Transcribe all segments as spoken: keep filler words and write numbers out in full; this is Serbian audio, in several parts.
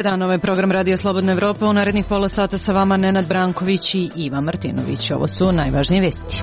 dan, ovo je program Radio Slobodna Evropa. U narednih pola sata sa vama Nenad Branković i Iva Martinović. Ovo su najvažnije vesti.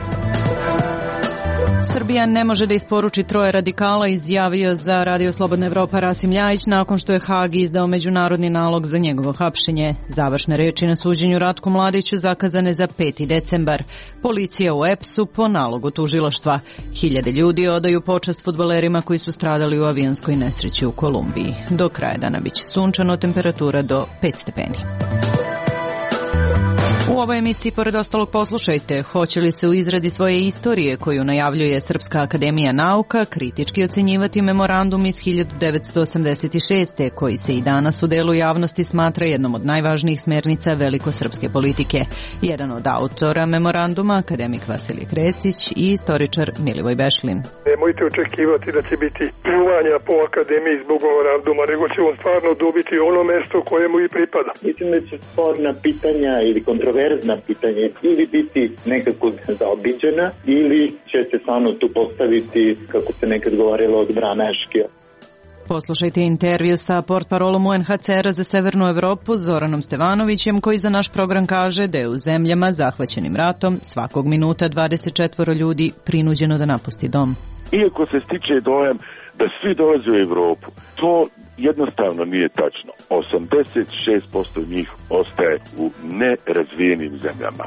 Srbija ne može da isporuči troje radikala, izjavio za Radio Slobodna Evropa Rasim Ljajić nakon što je Hag izdao međunarodni nalog za njegovo hapšenje. Završne reči na suđenju Ratku Mladiću zakazane za peti decembar. Policija u E P S-u po nalogu tužilaštva. Hiljade ljudi odaju počast fudbalerima koji su stradali u avionskoj nesreći u Kolumbiji. Do kraja dana biće sunčano, temperatura do pet stepeni. U ovoj emisiji, pored ostalog, poslušajte, hoće li se u izradi svoje istorije, koju najavljuje Srpska akademija nauka, kritički ocenjivati memorandum iz hiljadu devetsto osamdeset šeste. koji se i danas u delu javnosti smatra jednom od najvažnijih smernica velikosrpske politike. Jedan od autora memoranduma, akademik Vasilije Krestić i istoričar Milivoj Bešlin. Nemojte očekivati da će biti pljuvanja po akademiji zbog memoranduma, nego će on stvarno dobiti ono mesto kojemu i pripada. Mislim da će sporna pitanja ili kontroverzna pitanje ili biti nekako zaobiđena ili će se stvarno tu postaviti, kako se nekad govorilo, od Brameške. Poslušajte intervju sa portparolom U N H C R-a za Severnu Evropu Zoranom Stevanovićem, koji za naš program kaže da je u zemljama zahvaćenim ratom svakog minuta dvadeset četvoro ljudi prinuđeno da napusti dom. Iako se stiče dojam da svi dolaze u Evropu, to jednostavno nije tačno. osamdeset šest posto njih ostaje u nerazvijenim zemljama.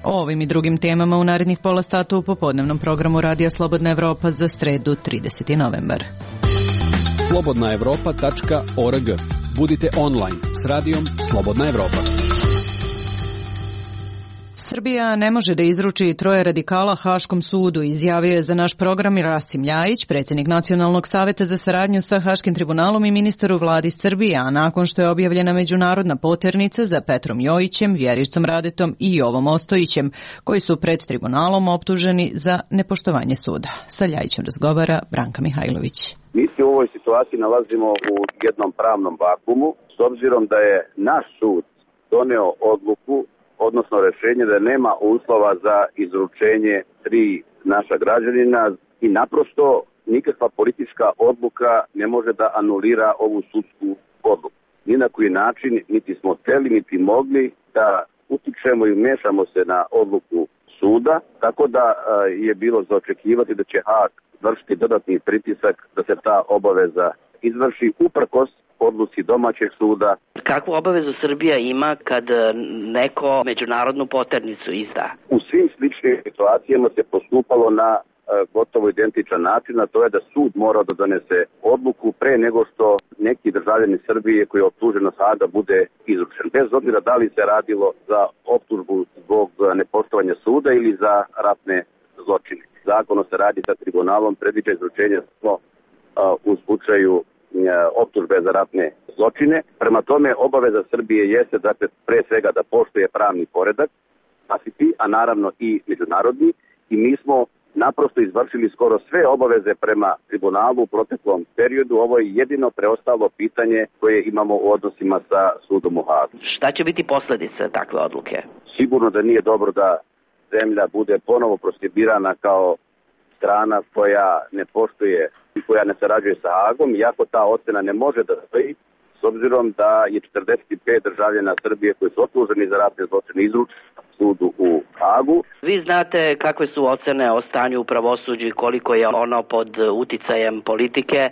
O ovim i drugim temama u narednih pola sata u popodnevnom programu Radija Slobodna Evropa za sredu trideseti novembar. slobodna evropa tačka org. Budite online s radijom Slobodna Evropa. Srbija ne može da izruči troje radikala Haškom sudu, izjavio je za naš program i Rasim Ljajić, predsjednik Nacionalnog saveta za saradnju sa Haškim tribunalom i ministar u vladi Srbije, a nakon što je objavljena međunarodna poternica za Petrom Jojićem, Vjericom Radetom i Jovom Ostojićem, koji su pred tribunalom optuženi za nepoštovanje suda. Sa Ljajićem razgovara Branka Mihajlović. Mi se u ovoj situaciji nalazimo u jednom pravnom vakumu, s obzirom da je naš sud doneo odluku, odnosno rješenje da nema uslova za izručenje tri naša građanina i naprosto nikakva politička odluka ne može da anulira ovu sudsku odluku. Ni na koji način niti smo hteli niti mogli da utičemo i mešamo se na odluku suda, tako da je bilo za očekivati da će Hag vršiti dodatni pritisak da se ta obaveza izvrši uprkos odluci domaćeg suda. Kakvu obavezu Srbija ima kad neko međunarodnu poternicu izda? U svim sličnim situacijama se postupalo na e, gotovo identičan način, a to je da sud mora da donese odluku pre nego što neki državljanin Srbije koji je optužen od Haga bude izručen. Bez obzira da li se radilo za optužbu zbog nepoštovanja suda ili za ratne zločine. Zakon o saradnji sa tribunalom predviđa izručenje samo u slučaju optužbe za ratne zločine. Prema tome, obaveza Srbije jeste, dakle, pre svega da poštuje pravni poredak, a naravno i međunarodni, i mi smo naprosto izvršili skoro sve obaveze prema tribunalu u proteklom periodu. Ovo je jedino preostalo pitanje koje imamo u odnosima sa sudom u Hagu. Šta će biti posljedice takve odluke? Sigurno da nije dobro da zemlja bude ponovo proskribirana kao strana koja ne poštuje i koja ne sarađuje sa Hagom, iako ta ocena ne može da stoji, s obzirom da je četrdeset pet državljana Srbije koji su optuženi za ratne zločine izručeni sudu u Hagu. Vi znate kakve su ocene o stanju u pravosuđu i koliko je ono pod uticajem politike,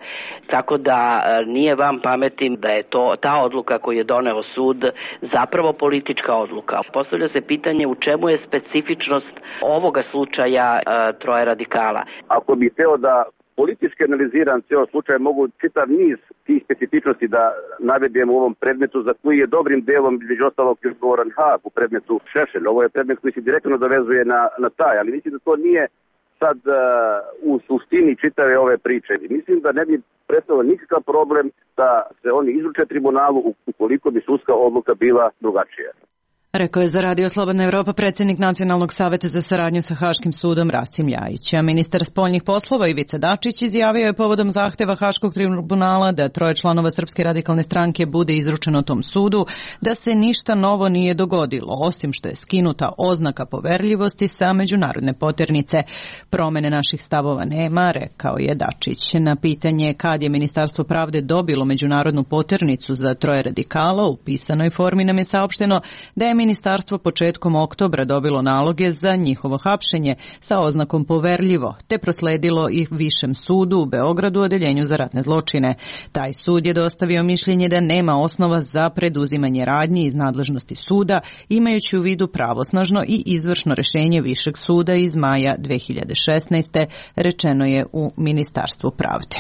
tako da nije vam pametim da je to ta odluka koju je doneo sud zapravo politička odluka. Postavlja se pitanje u čemu je specifičnost ovoga slučaja e, troje radikala. Ako bi hteo da politički analiziran cijel slučaj, mogu čitav niz tih specifičnosti da navedem u ovom predmetu, za koji je dobrim delom između ostalog odgovoran Hag u predmetu Šešelj. Ovo je predmet koji se direktno dovezuje na, na taj, ali mislim da to nije sad uh, u suštini čitave ove priče. Mislim da ne bi predstavljao nikakav problem da se oni izruče tribunalu ukoliko bi sudska odluka bila drugačija. Rekao je za Radio Slobodna Evropa predsjednik Nacionalnog saveta za saradnju sa Haškim sudom Rasim Ljajić. A ministar spoljnih poslova Ivica Dačić izjavio je povodom zahteva Haškog tribunala da troje članova Srpske radikalne stranke bude izručeno tom sudu, da se ništa novo nije dogodilo, osim što je skinuta oznaka poverljivosti sa međunarodne poternice. Promene naših stavova nema, rekao je Dačić. Na pitanje kad je Ministarstvo pravde dobilo međunarodnu poternicu za troje radikala, u pisanoj formi nam je saopšteno da je ministarstvo početkom oktobra dobilo naloge za njihovo hapšenje sa oznakom poverljivo, te prosledilo ih Višem sudu u Beogradu, odeljenju za ratne zločine. Taj sud je dostavio mišljenje da nema osnova za preduzimanje radnji iz nadležnosti suda, imajući u vidu pravosnažno i izvršno rešenje Višeg suda iz maja dve hiljade šesnaeste. rečeno je u Ministarstvu pravde.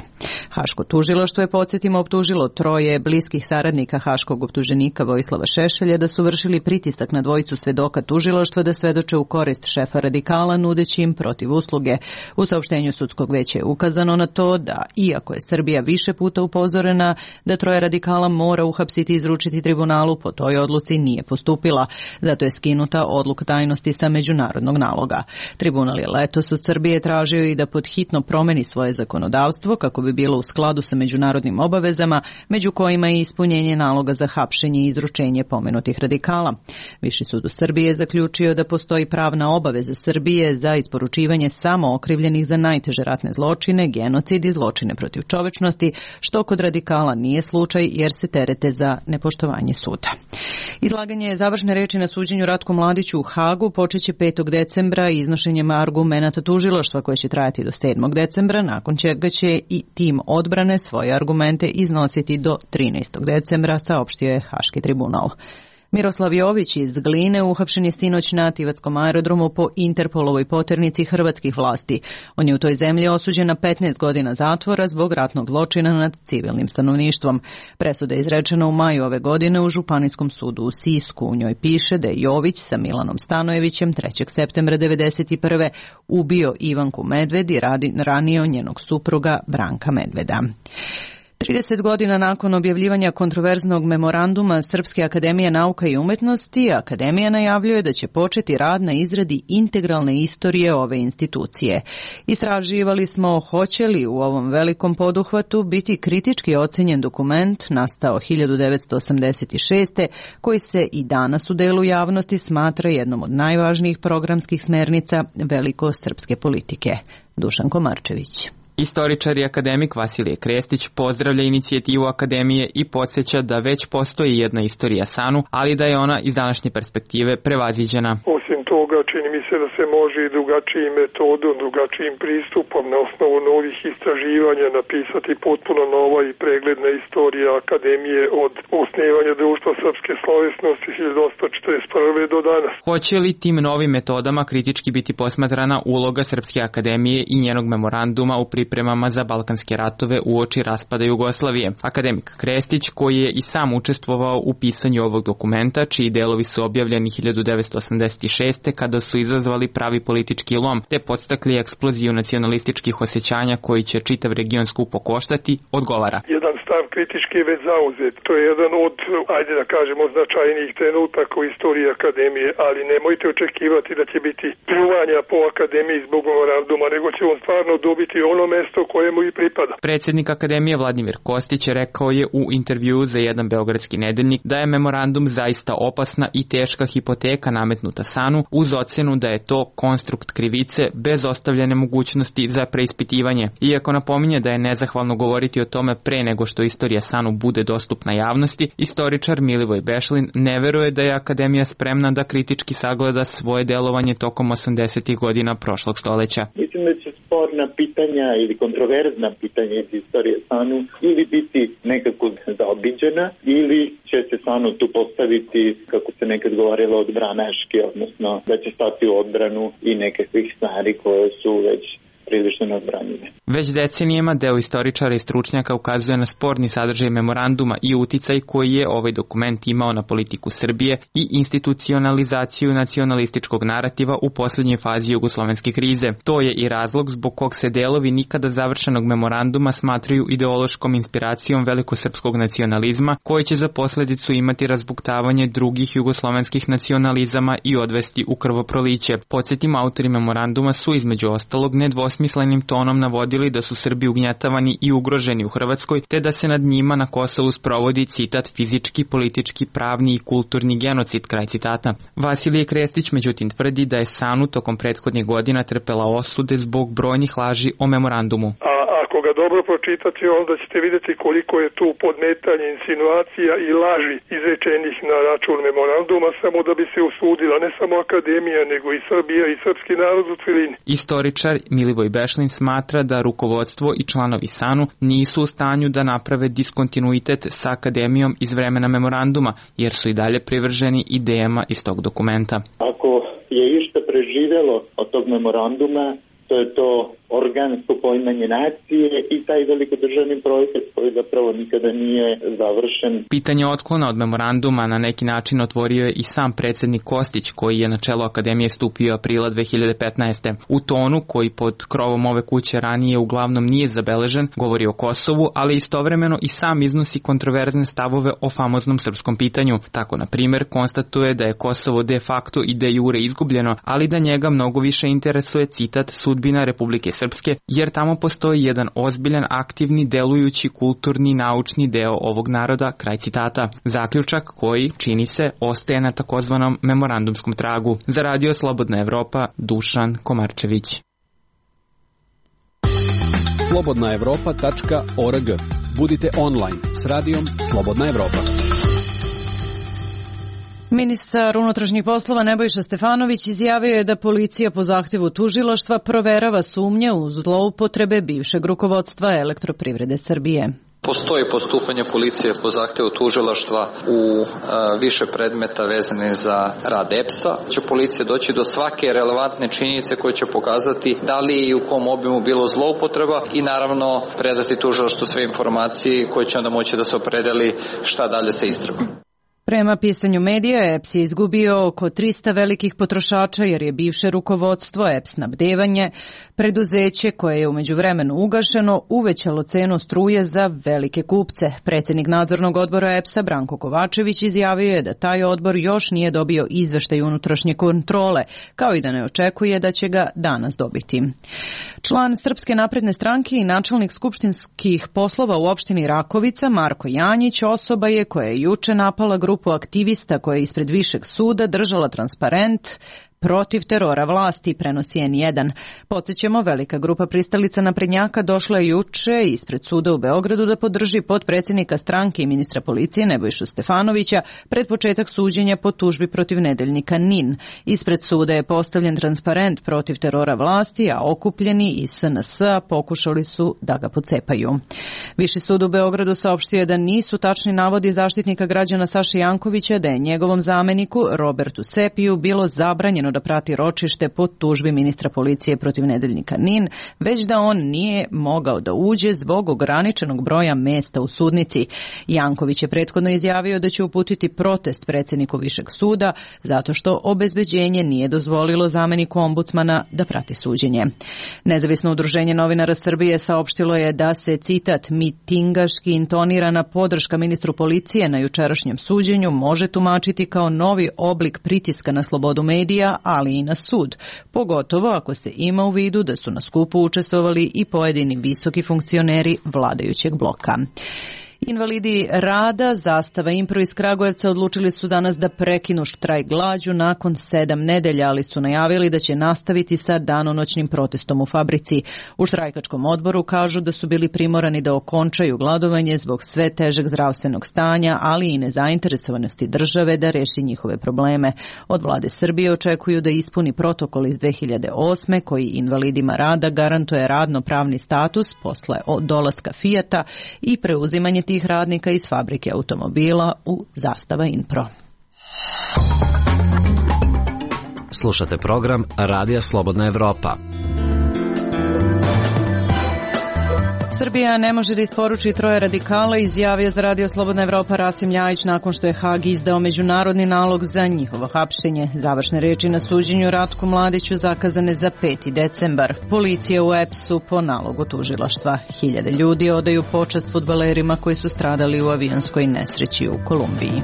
Haško tužilaštvo je, podsjetimo, optužilo troje bliskih saradnika haškog optuženika Vojislava Šešelja da su vršili pritisak na dvojicu svedoka tužilaštva da svedoče u korist šefa radikala, nudeći im protiv usluge. U saopštenju sudskog veća je ukazano na to da, iako je Srbija više puta upozorena da troje radikala mora uhapsiti i izručiti tribunalu, po toj odluci nije postupila. Zato je skinuta odluka tajnosti sa međunarodnog naloga. Tribunal je letos od Srbije tražio i da podhitno promeni svoje zakonodavstvo kako bi bilo u skladu sa međunarodnim obavezama, među kojima je ispunjenje naloga za hapšenje i izručenje pomenutih radikala. Viši sud u Srbiji je zaključio da postoji pravna obaveza Srbije za isporučivanje samo okrivljenih za najteže ratne zločine, genocid i zločine protiv čovečnosti, što kod radikala nije slučaj jer se terete za nepoštovanje suda. Izlaganje završne reči na suđenju Ratku Mladiću u Hagu počeće petog decembra iznošenjem argumenata tužilaštva koje će trajati do sedmog decembra, nakon čega će i tim odbrane svoje argumente iznositi do trinaestog decembra, saopštio je Haški tribunal. Miroslav Jović iz Gline uhapšen je sinoć na Tivatskom aerodromu po Interpolovoj poternici hrvatskih vlasti. On je u toj zemlji osuđen na petnaest godina zatvora zbog ratnog zločina nad civilnim stanovništvom. Presuda je izrečena u maju ove godine u Županijskom sudu u Sisku. U njoj piše da je Jović sa Milanom Stanojevićem trećeg septembra devedeset prve ubio Ivanku Medved i ranio njenog supruga Branka Medveda. trideset godina nakon objavljivanja kontroverznog memoranduma Srpske akademije nauka i umetnosti, Akademija najavljuje da će početi rad na izradi integralne istorije ove institucije. Istraživali smo hoće li u ovom velikom poduhvatu biti kritički ocenjen dokument nastao hiljadu devetsto osamdeset šeste. koji se i danas u delu javnosti smatra jednom od najvažnijih programskih smernica velikosrpske politike. Dušan Komarčević. Istoričar i akademik Vasilije Krestić pozdravlja inicijativu Akademije i podsjeća da već postoji jedna istorija SANU, ali da je ona iz današnje perspektive prevaziđena. Osim toga, čini mi se da se može i drugačijim metodom, drugačijim pristupom na osnovu novih istraživanja napisati potpuno nova i pregledna istorija Akademije od osnivanja Društva srpske slovesnosti hiljadu osamsto četrdeset prve. do danas. Hoće li tim novim metodama kritički biti posmatrana uloga Srpske akademije i njenog memoranduma u pripremama za balkanske ratove uoči raspada Jugoslavije? Akademik Krestić, koji je i sam učestvovao u pisanju ovog dokumenta, čiji delovi su objavljeni hiljadu devetsto osamdeset šeste. kada su izazvali pravi politički lom, te podstakli eksploziju nacionalističkih osjećanja koji će čitav region skupo koštati, odgovara. Jedan stav kritički je već zauzet. To je jedan od, ajde da kažemo, značajnijih trenutaka u istoriji Akademije, ali nemojte očekivati da će biti pljuvanja po Akademiji zbog memoranduma, nego će on stvarno dobiti ono mesto koje mu i pripada. Predsjednik Akademije Vladimir Kostić rekao je u intervjuu za jedan beogradski nedeljnik da je memorandum zaista opasna i teška hipoteka nametnuta SANU, uz ocenu da je to konstrukt krivice bez ostavljene mogućnosti za preispitivanje. Iako napominje da je nezahvalno govoriti o tome pre nego što istorija SANU bude dostupna javnosti, istoričar Milivoj Bešlin ne veruje da je Akademija spremna da kritički sagleda svoje delovanje tokom osamdesetih godina prošlog stoljeća. Mislim da će sporna pitanja ili kontroverzna pitanja iz istorije SANU ili biti nekako zaobiđena ili će se SANU tu postaviti, kako se nekad govorilo, odbranaški, odnosno da će stati u odbranu i nekakvih stvari koje su već prilično neodbranjive. Već decenijama deo istoričara i stručnjaka ukazuje na sporni sadržaj memoranduma i uticaj koji je ovaj dokument imao na politiku Srbije i institucionalizaciju nacionalističkog narativa u poslednjoj fazi jugoslovenske krize. To je i razlog zbog kog se delovi nikada završenog memoranduma smatraju ideološkom inspiracijom velikosrpskog nacionalizma, koji će za posledicu imati razbuktavanje drugih jugoslovenskih nacionalizama i odvesti u krvoproliće. Podsjetim, autori memoranduma su između ostalog nedvosmislenim tonom navodili da su Srbi ugnjetavani i ugroženi u Hrvatskoj, te da se nad njima na Kosovu sprovodi, citat, fizički, politički, pravni i kulturni genocid, kraj citata. Vasilije Krestić međutim tvrdi da je SANU tokom prethodnih godina trpela osude zbog brojnih laži o memorandumu. A ako ga dobro pročitate, onda ćete vidjeti koliko je tu podmetanje, insinuacija i laži izrečenih na račun memoranduma, samo da bi se usudila ne samo akademija, nego i Srbija i srpski narod u celini. Istoričar Milivoj Bešlin smatra da rukovodstvo i članovi SANU nisu u stanju da naprave diskontinuitet sa akademijom iz vremena memoranduma, jer su i dalje privrženi idejama iz tog dokumenta. Ako je išta preživjelo od tog memoranduma, to je to organsko poimanje nacije i taj velikodržavni projekat koji zapravo nikada nije završen. Pitanje otklona od memoranduma na neki način otvorio je i sam predsednik Kostić, koji je na čelo akademije stupio aprila dve hiljade petnaeste. U tonu koji pod krovom ove kuće ranije uglavnom nije zabeležen, govori o Kosovu, ali istovremeno i sam iznosi kontroverzne stavove o famoznom srpskom pitanju. Tako, na primjer, konstatuje da je Kosovo de facto i de jure izgubljeno, ali da njega mnogo više interesuje, citat, sudbina Republike Srpske, jer tamo postoji jedan ozbiljan, aktivni, delujući, kulturni, naučni deo ovog naroda, kraj citata. Zaključak koji, čini se, ostaje na takozvanom memorandumskom tragu. Za Radio Slobodna Evropa, Dušan Komarčević. slobodna evropa tačka org. Budite online s radijom Slobodna Evropa. Ministar unutrašnjih poslova Nebojša Stefanović izjavio je da policija po zahtjevu tužilaštva proverava sumnje u zloupotrebe bivšeg rukovodstva Elektroprivrede Srbije. Postoji postupanje policije po zahtevu tužilaštva u a, više predmeta vezane za rad E P S-a. Će policija doći do svake relevantne činjenice koje će pokazati da li i u kom obimu bilo zloupotreba i naravno predati tužilaštvu sve informacije koje će onda moći da se opredeli šta dalje sa istragom. Prema pisanju medija, E P S je izgubio oko trista velikih potrošača jer je bivše rukovodstvo E P S snabdevanje, preduzeće koje je u međuvremenu ugašeno, uvećalo cenu struje za velike kupce. Predsjednik nadzornog odbora E P S-a Branko Kovačević izjavio je da taj odbor još nije dobio izveštaj unutrašnje kontrole, kao i da ne očekuje da će ga danas dobiti. Član Srpske napredne stranke i načelnik skupštinskih poslova u opštini Rakovica, Marko Janjić, osoba je koja je juče napala grupu aktivista koja je ispred višeg suda držala transparent protiv terora vlasti, prenosi en jedan. Podsjećamo, velika grupa pristalica naprednjaka došla je juče ispred suda u Beogradu da podrži potpredsjednika stranke i ministra policije Nebojšu Stefanovića pred početak suđenja po tužbi protiv nedeljnika N I N. Ispred suda je postavljen transparent protiv terora vlasti, a okupljeni iz S N S-a pokušali su da ga pocepaju. Viši sud u Beogradu saopštio je da nisu tačni navodi zaštitnika građana Saše Jankovića da je njegovom zameniku Robertu Sepiju bilo zabranjeno da prati ročište po tužbi ministra policije protiv nedeljnika N I N, već da on nije mogao da uđe zbog ograničenog broja mesta u sudnici. Janković je prethodno izjavio da će uputiti protest predsjedniku Višeg suda zato što obezbeđenje nije dozvolilo zameniku ombudsmana da prati suđenje. Nezavisno udruženje novinara Srbije saopštilo je da se, citat, mitingaški intonirana podrška ministru policije na jučerašnjem suđenju može tumačiti kao novi oblik pritiska na slobodu medija, ali i na sud, pogotovo ako se ima u vidu da su na skupu učestvovali i pojedini visoki funkcioneri vladajućeg bloka. Invalidi rada, Zastava Impro iz Kragujevca odlučili su danas da prekinu štrajk glađu nakon sedam nedelja, ali su najavili da će nastaviti sa danonoćnim protestom u fabrici. U štrajkačkom odboru kažu da su bili primorani da okončaju gladovanje zbog sve težeg zdravstvenog stanja, ali i nezainteresovanosti države da reši njihove probleme. Od vlade Srbije očekuju da ispuni protokol iz dve hiljade osme koji invalidima rada garantuje radno-pravni status posle dolaska Fijata i preuzimanje tih radnika iz fabrike automobila u Zastava Impro. Slušate program Radija Slobodna Evropa. Srbija ne može da isporuči troje radikala, izjavio za Radio Slobodna Evropa Rasim Ljajić nakon što je Hag izdao međunarodni nalog za njihovo hapšenje. Završne reči na suđenju Ratku Mladiću zakazane za peti decembar. Policija u E P S-u po nalogu tužilaštva. Hiljade ljudi odaju počast fudbalerima koji su stradali u avionskoj nesreći u Kolumbiji.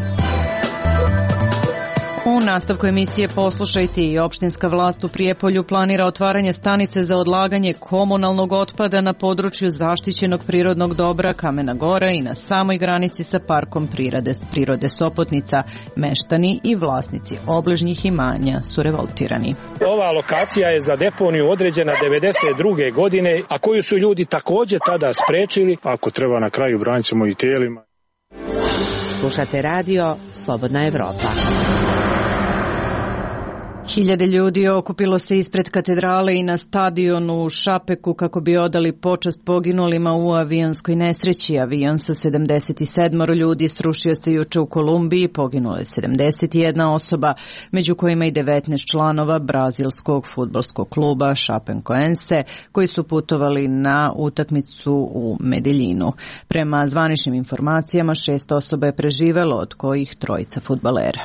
U nastavku emisije Poslušajte i opštinska vlast u Prijepolju planira otvaranje stanice za odlaganje komunalnog otpada na području zaštićenog prirodnog dobra Kamena Gora i na samoj granici sa parkom prirode, prirode Sopotnica. Meštani i vlasnici obližnjih imanja su revoltirani. Ova lokacija je za deponiju određena devedeset druge godine, a koju su ljudi također tada sprečili. Ako treba na kraju branit ćemo i tijelima. Slušate radio Slobodna Evropa. Hiljade ljudi okupilo se ispred katedrale i na stadionu u Šapeku kako bi odali počast poginulima u avionskoj nesreći. Avion sa sedamdeset sedam ljudi srušio se juče u Kolumbiji, poginulo je sedamdeset jedna osoba, među kojima i devetnaest članova brazilskog fudbalskog kluba Chapecoense, koji su putovali na utakmicu u Medeljinu. Prema zvaničnim informacijama, šest osoba je preživelo, od kojih trojica fudbalera.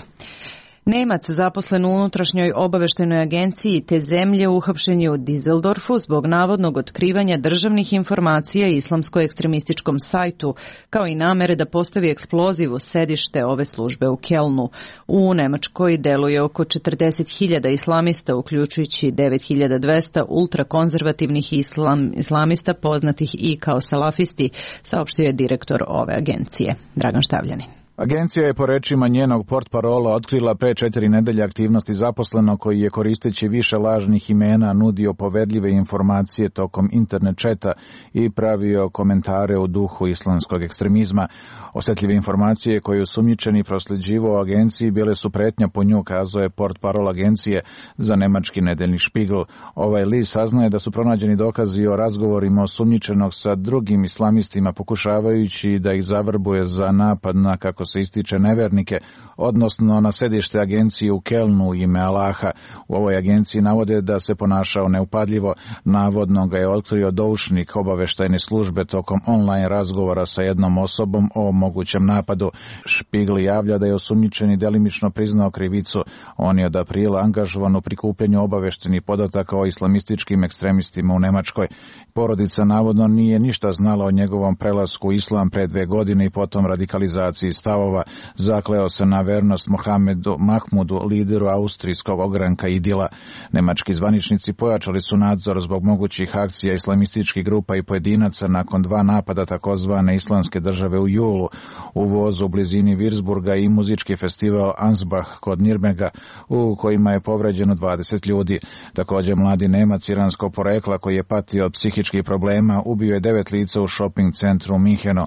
Nemac zaposlen u unutrašnjoj obaveštajnoj agenciji te zemlje uhapšen je u Dizeldorfu zbog navodnog otkrivanja državnih informacija islamsko-ekstremističkom sajtu, kao i namere da postavi eksploziv u sedište ove službe u Kelnu. U Nemačkoj deluje oko četrdeset hiljada islamista, uključujući devet hiljada dvesta ultrakonzervativnih islam, islamista poznatih i kao salafisti, saopštio je direktor ove agencije. Dragan Štavljanin. Agencija je po rečima njenog portparola otkrila pre četiri nedelje aktivnosti zaposlenog koji je koristeći više lažnih imena nudio povedljive informacije tokom internet četa i pravio komentare u duhu islamskog ekstremizma. Osetljive informacije koje osumnjičeni prosljeđivao agenciji bile su pretnja po nju, kazao je portparol agencije za nemački nedeljni Spiegel. Ovaj list saznaje da su pronađeni dokazi o razgovorima osumnjičenog sa drugim islamistima pokušavajući da ih zavrbuje za napad na, kako se ističe, nevernike, odnosno na sedište agencije u Kelnu u ime Allaha. U ovoj agenciji navode da se ponašao neupadljivo. Navodno ga je otkrio doušnik obaveštajne službe tokom online razgovora sa jednom osobom o mogućem napadu. Spiegel javlja da je osumnjičeni delimično priznao krivicu. On je od aprila angažovan u prikupljanju obaveštenih podataka o islamističkim ekstremistima u Nemačkoj. Porodica navodno nije ništa znala o njegovom prelasku u islam pre dve godine i potom radikalizaciji stavova. Zakleo se na vernost Mohamedu Mahmudu, lideru austrijskog ogranka Idila. Nemački zvaničnici pojačali su nadzor zbog mogućih akcija islamističkih grupa i pojedinaca nakon dva napada takozvane islamske države u julu u vozu u blizini Würzburga i muzički festival Ansbach kod Nirmega u kojima je povređeno dvadeset ljudi. Također mladi Nemac iranskog porekla koji je patio od psihičkih problema ubio je devet lica u shopping centru u Minhenu.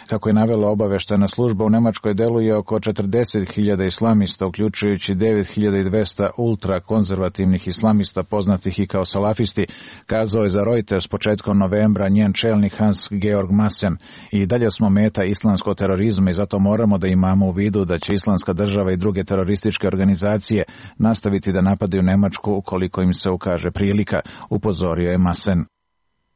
Kako je navela obaveštajna služba, u Nemačkoj deluje oko četrdeset hiljada islamista, uključujući devet hiljada dvesta ultrakonzervativnih islamista poznatih i kao salafisti, kazao je za Reuters početkom novembra njen čelnik Hans-Georg Maassen. I dalje smo meta islamskog terorizma i zato moramo da imamo u vidu da će Islamska država i druge terorističke organizacije nastaviti da napadaju Nemačku ukoliko im se ukaže prilika, upozorio je Maassen.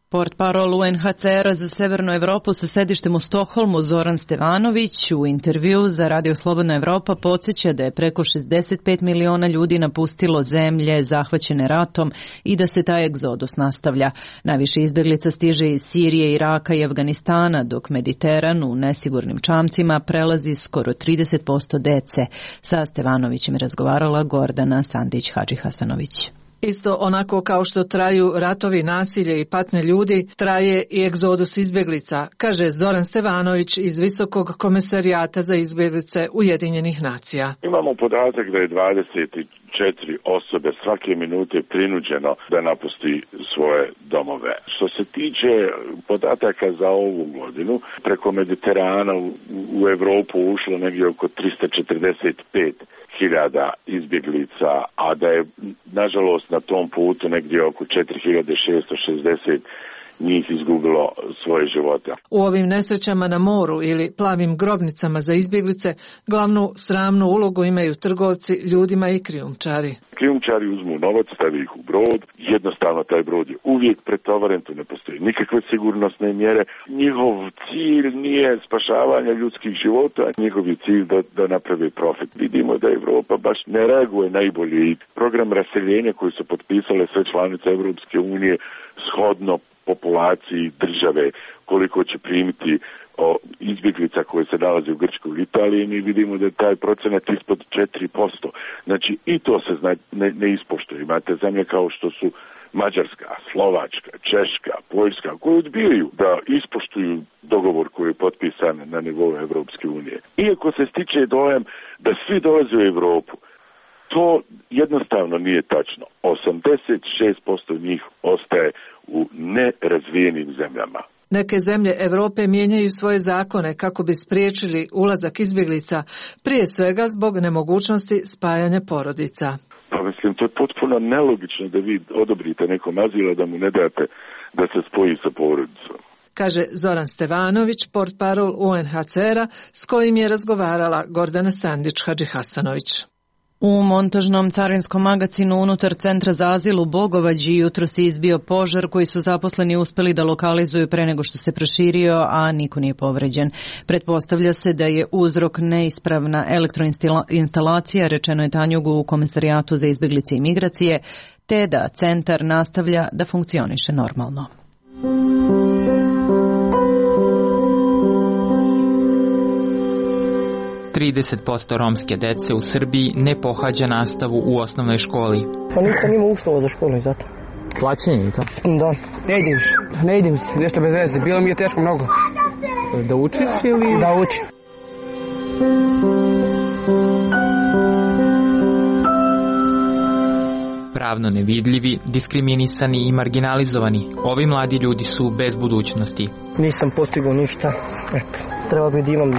Portparol U N H C R-a za Severnu Evropu sa sedištem u Stokholmu Zoran Stevanović u intervju za Radio Slobodna Evropa podsjeća da je preko šezdeset pet miliona ljudi napustilo zemlje zahvaćene ratom i da se taj egzodus nastavlja. Najviše izbeglica stiže iz Sirije, Iraka i Afganistana, dok Mediteran u nesigurnim čamcima prelazi skoro trideset posto dece. Sa Stevanovićem je razgovarala Gordana Sandić-Hadžihasanović. Isto onako kao što traju ratovi, nasilje i patnje ljudi, traje i egzodus izbjeglica, kaže Zoran Stevanović iz Visokog komesarijata za izbjeglice Ujedinjenih nacija. Imamo podatak da je dvadeset četiri osobe svake minute prinuđeno da napusti svoje domove. Što se tiče podataka za ovu godinu, preko Mediterana u, u Evropu ušlo negdje oko tristo četrdeset pet hiljada izbjeglica, a da je nažalost na tom putu negdje oko četiri hiljade šesto šezdeset njih izgubilo svoje živote. U ovim nesrećama na moru ili plavim grobnicama za izbjeglice glavnu sramnu ulogu imaju trgovci ljudima i krijumčari. Krijumčari uzmu novac, stavi ih u brod, jednostavno taj brod je uvijek pretovaren, tu ne postoji nikakve sigurnosne mjere. Njihov cilj nije spašavanje ljudskih života, njihov je cilj da, da napravi profit. Vidimo da Evropa baš ne reaguje najbolje i program raseljenja koji su potpisale sve članice Evropske unije shodno populaciji države, koliko će primiti o izbjeglica koje se nalaze u Grčkoj i Italiji, mi vidimo da je taj procenat ispod četiri posto. Znači i to se zna, ne, ne ispoštuje. Imate zemlje kao što su Mađarska, Slovačka, Češka, Poljska, koje odbijaju da ispoštuju dogovor koji je potpisan na nivou Evropske unije. Iako se stiče dojam da svi dolaze u Evropu, to jednostavno nije tačno. osamdeset šest posto njih ostaje u nerazvijenim zemljama. Neke zemlje Europe mijenjaju svoje zakone kako bi spriječili ulazak izbjeglica, prije svega zbog nemogućnosti spajanja porodica. Pa mislim, to je potpuno nelogično da vi odobrite nekom azila da mu ne date da se spoji sa porodicom. Kaže Zoran Stevanović, portparol U N H C R-a, s kojim je razgovarala Gordana Sandić-Hadžihasanović. U montažnom carinskom magacinu unutar centra za azil u Bogovađi jutro se izbio požar koji su zaposleni uspeli da lokalizuju pre nego što se proširio, a niko nije povređen. Pretpostavlja se da je uzrok neispravna elektroinstalacija, rečeno je Tanjugu u Komesarijatu za izbjeglice i migracije, te da centar nastavlja da funkcioniše normalno. trideset posto romske dece u Srbiji ne pohađa nastavu u osnovnoj školi. Pa nisam imao uslova za školu i zato. Plaćenje i to? Da, ne idim se, ne idim se, nešto bez veze, bilo mi je teško mnogo. Da učiš ili? Da učim. Pravno nevidljivi, diskriminisani i marginalizovani, ovi mladi ljudi su bez budućnosti. Nisam postigao ništa, eto, treba bi da imam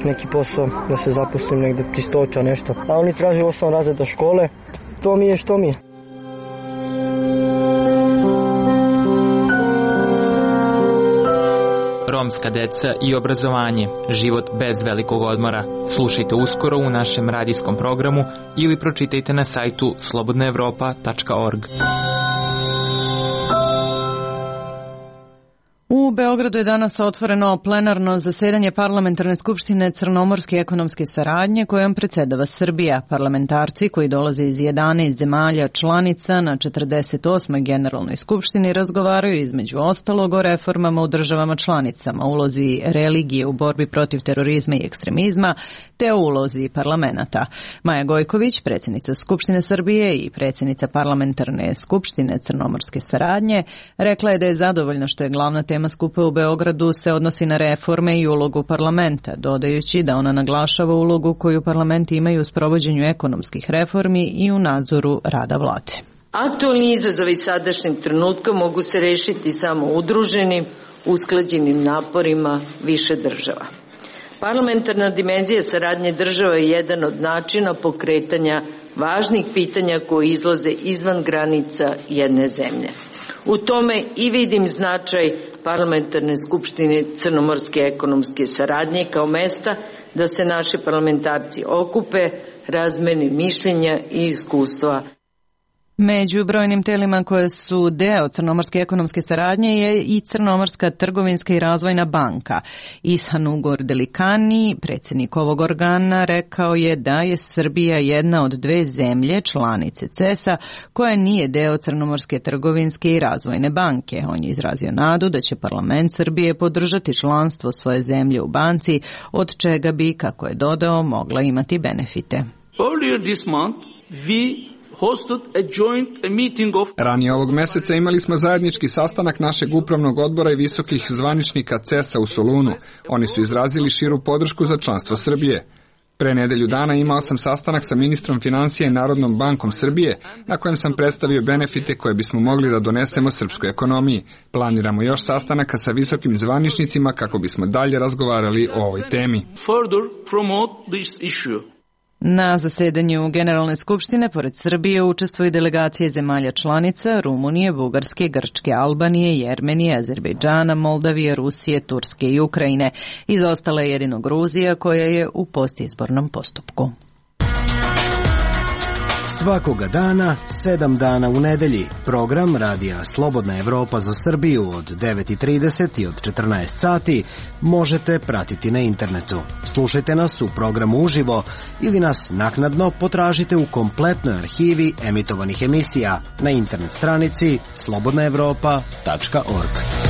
neki posao, da se zaposlim negde čistoća, nešto. A oni traže osam razreda škole, to mi je što mi je. Romska deca i obrazovanje, život bez velikog odmora. Slušajte uskoro u našem radijskom programu ili pročitajte na sajtu slobodna evropa tačka org. U Beogradu je danas otvoreno plenarno zasedanje Parlamentarne skupštine Crnomorske ekonomske saradnje kojom predsjedava Srbija. Parlamentarci koji dolaze iz jedanaest zemalja članica na četrdeset osmoj generalnoj skupštini razgovaraju između ostalog o reformama u državama članicama, ulozi religije u borbi protiv terorizma i ekstremizma, te o ulozi parlamenta. Maja Gojković, predsjednica Skupštine Srbije i predsjednica Parlamentarne skupštine Crnomorske saradnje, rekla je da je zadovoljna što je glavna tema skupa u Beogradu se odnosi na reforme i ulogu parlamenta, dodajući da ona naglašava ulogu koju parlamenti imaju u sprovođenju ekonomskih reformi i u nadzoru rada vlade. Aktualni izazovi sadašnjeg trenutka mogu se rešiti samo udruženim, usklađenim naporima više država. Parlamentarna dimenzija saradnje država je jedan od načina pokretanja važnih pitanja koji izlaze izvan granica jedne zemlje. U tome i vidim značaj Parlamentarne skupštine Crnomorske ekonomske saradnje kao mesta da se naši parlamentarci okupe, razmene mišljenja i iskustva. Među brojnim telima koje su deo Crnomorske ekonomske saradnje je i Crnomorska trgovinska i razvojna banka. Ishan Ugor Delikani, predsjednik ovog organa, rekao je da je Srbija jedna od dve zemlje, članice C E S a, koja nije deo Crnomorske trgovinske i razvojne banke. On je izrazio nadu da će parlament Srbije podržati članstvo svoje zemlje u banci, od čega bi, kako je dodao, mogla imati benefite. Earlier this month, we Ranije ovog meseca imali smo zajednički sastanak našeg upravnog odbora i visokih zvaničnika C E S a u Solunu. Oni su izrazili širu podršku za članstvo Srbije. Pre nedelju dana imao sam sastanak sa ministrom financija i Narodnom bankom Srbije, na kojem sam predstavio benefite koje bismo mogli da donesemo srpskoj ekonomiji. Planiramo još sastanaka sa visokim zvaničnicima kako bismo dalje razgovarali o ovoj temi. Further promote this issue. Na zasedanju Generalne skupštine pored Srbije učestvuju delegacije zemalja članica Rumunije, Bugarske, Grčke, Albanije, Jermenije, Azerbejdžana, Moldavije, Rusije, Turske i Ukrajine. Izostala je jedino Gruzija koja je u postizbornom postupku. Svakoga dana, sedam dana u nedelji. Program Radija Slobodna Evropa za Srbiju od devet i trideset i od četrnaest sati možete pratiti na internetu. Slušajte nas u programu uživo ili nas naknadno potražite u kompletnoj arhivi emitovanih emisija na internet stranici slobodna evropa tačka org.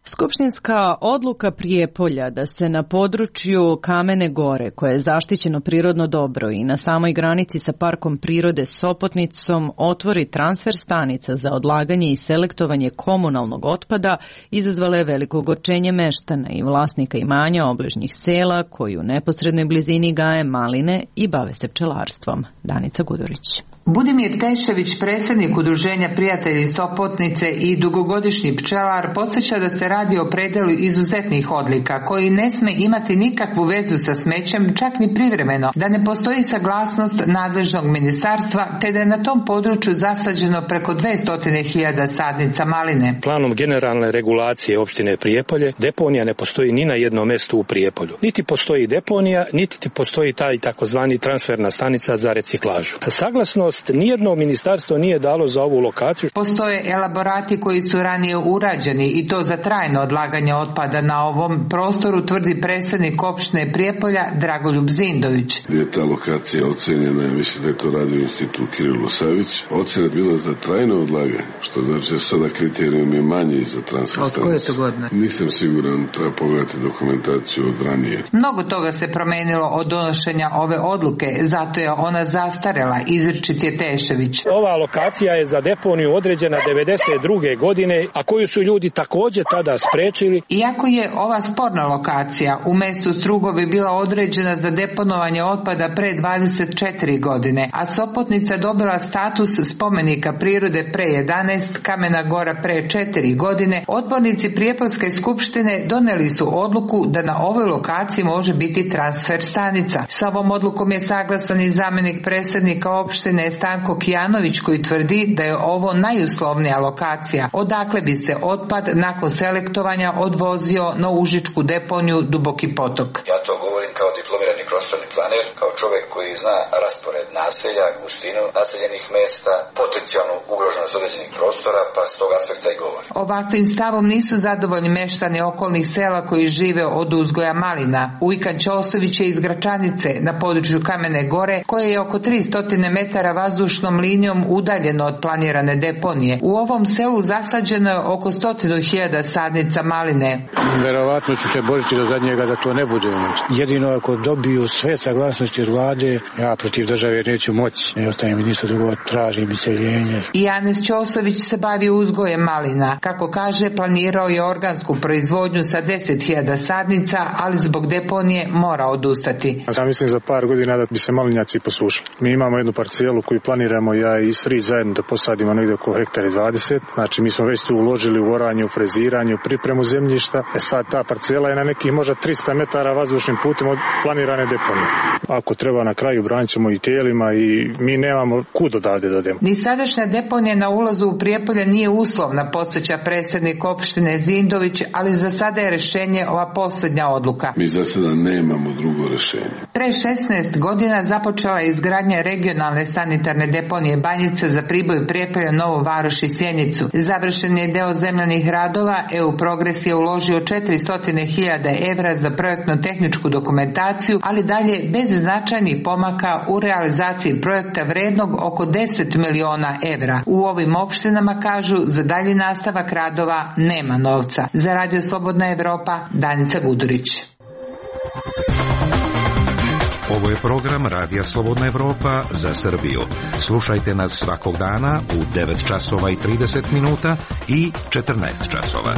Skupštinska odluka Prijepolja da se na području Kamene Gore, koje je zaštićeno prirodno dobro i na samoj granici sa Parkom prirode Sopotnicom, otvori transfer stanica za odlaganje i selektovanje komunalnog otpada, izazvala je veliko ogorčenje meštana i vlasnika imanja obližnjih sela koji u neposrednoj blizini gaje maline i bave se pčelarstvom. Danica Gudurić. Budimir Tešević, predsjednik Udruženja Prijatelji Sopotnice i dugogodišnji pčelar, podsjeća da se radi o predelu izuzetnih odlika koji ne sme imati nikakvu vezu sa smećem, čak ni privremeno, da ne postoji saglasnost nadležnog ministarstva, te da je na tom području zasađeno preko dvesta hiljada sadnica maline. Planom generalne regulacije opštine Prijepolje deponija ne postoji ni na jednom mestu u Prijepolju. Niti postoji deponija, niti postoji taj takozvani transferna stanica za reciklažu. Saglasno nijedno ministarstvo nije dalo za ovu lokaciju. Postoje elaborati koji su ranije urađeni i to za trajno odlaganje otpada na ovom prostoru, tvrdi predsjednik opštine Prijepolja Dragoljub Zindović. Je ta lokacija ocenjena, mislim da je to radio institut Kirilo Savić. Ocena je bila za trajno odlaganje, što znači da sada kriterijum je manji za transfer stanicu. Od koje to godine? Nisam siguran, treba pogledati dokumentaciju od ranije. Mnogo toga se promenilo od donošenja ove odluke, zato je ona zastarela, izričit je Tešević. Ova lokacija je za deponiju određena devedeset druge godine, a koju su ljudi također tada sprečili. Iako je ova sporna lokacija u mestu Strugovi bila određena za deponovanje otpada pre dvadeset četiri godine, a Sopotnica dobila status spomenika prirode pre jedanaest, Kamena Gora pre četiri godine, odbornici Prijepolske skupštine doneli su odluku da na ovoj lokaciji može biti transfer stanica. Sa ovom odlukom je saglasan i zamjenik predsjednika opštine Stanko Kijanović, koji tvrdi da je ovo najuslovnija lokacija, odakle bi se otpad nakon selektovanja odvozio na užičku deponiju Duboki potok. Ja to govorim kao diplomirani prostorni planer, kao čovjek koji zna raspored naselja, gustinu naseljenih mesta, potencijalnu ugroženost određenih prostora, pa s tog aspekta i govorim. Ovakvim stavom nisu zadovoljni meštani okolnih sela koji žive od uzgoja malina. Ujkan Ćosović je iz Gračanice na području Kamene Gore, koje je oko tristo metara vazdušnom linijom udaljeno od planirane deponije. U ovom selu zasađeno je oko stotinu hiljada sadnica maline. Verovatno ću se boriti do zadnjega da to ne bude. Jedino ako dobiju sve saglasnosti od vlade, ja protiv države neću moći. Ne ostaje mi ništa drugo, tražim iseljenje. I Janez Ćosović se bavi uzgojem malina. Kako kaže, planirao je organsku proizvodnju sa deset hiljada sadnica, ali zbog deponije mora odustati. Ja mislim za par godina da bi se malinjaci posušili. Mi imamo jednu parcelu koju planiramo ja i Srić zajedno da posadimo negdje oko hektara dvadeset. Znači mi smo već tu uložili u oranje, u freziranje, u pripremu zemljišta. E sad ta parcela je na nekih možda trista metara vazdušnim putem od planirane deponije. Ako treba na kraju branit ćemo i tijelima i mi nemamo kud odavde da odemo. Ni sadašnja deponija na ulazu u Prijepolje nije uslovna, podsjeća predsjednik opštine Zindović, ali za sada je rješenje ova posljednja odluka. Mi za sada nemamo drugo rješenje. Pre šesnaest godina započela je izgradnja regionalne sanitarne deponije Banjica za Priboj, Prijepolje, Novu Varoš i Sjenicu. Završen je deo zemljanih radova, E U Progres je uložio četiristo hiljada evra za projektno-tehničku dokumentaciju, ali dalje bez značajnih pomaka u realizaciji projekta vrednog oko deset miliona evra. U ovim opštinama, kažu, za dalji nastavak radova nema novca. Za Radio Slobodna Evropa, Danica Gudurić. Ovo je program Radija Slobodna Evropa za Srbiju. Slušajte nas svakog dana u devet časova i trideset minuta i četrnaest časova.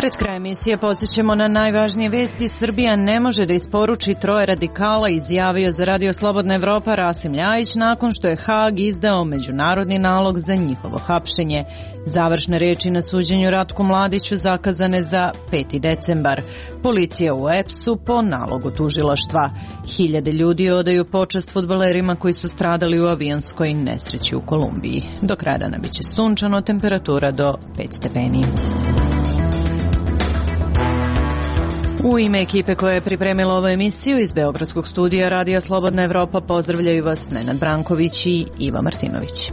Pred kraj emisije podsjećamo na najvažnije vesti. Srbija ne može da isporuči troje radikala, izjavio za Radio Slobodna Evropa Rasim Ljajić nakon što je Hag izdao međunarodni nalog za njihovo hapšenje. Završne reči na suđenju Ratku Mladiću zakazane za peti decembar. Policija u E P S-u po nalogu tužilaštva. Hiljade ljudi odaju počast fudbalerima koji su stradali u avionskoj nesreći u Kolumbiji. Do kraja dana biće sunčano, temperatura do pet stepeni. U ime ekipe koja je pripremila ovu emisiju iz Beogradskog studija Radija Slobodna Evropa pozdravljaju vas Nenad Branković i Iva Martinović.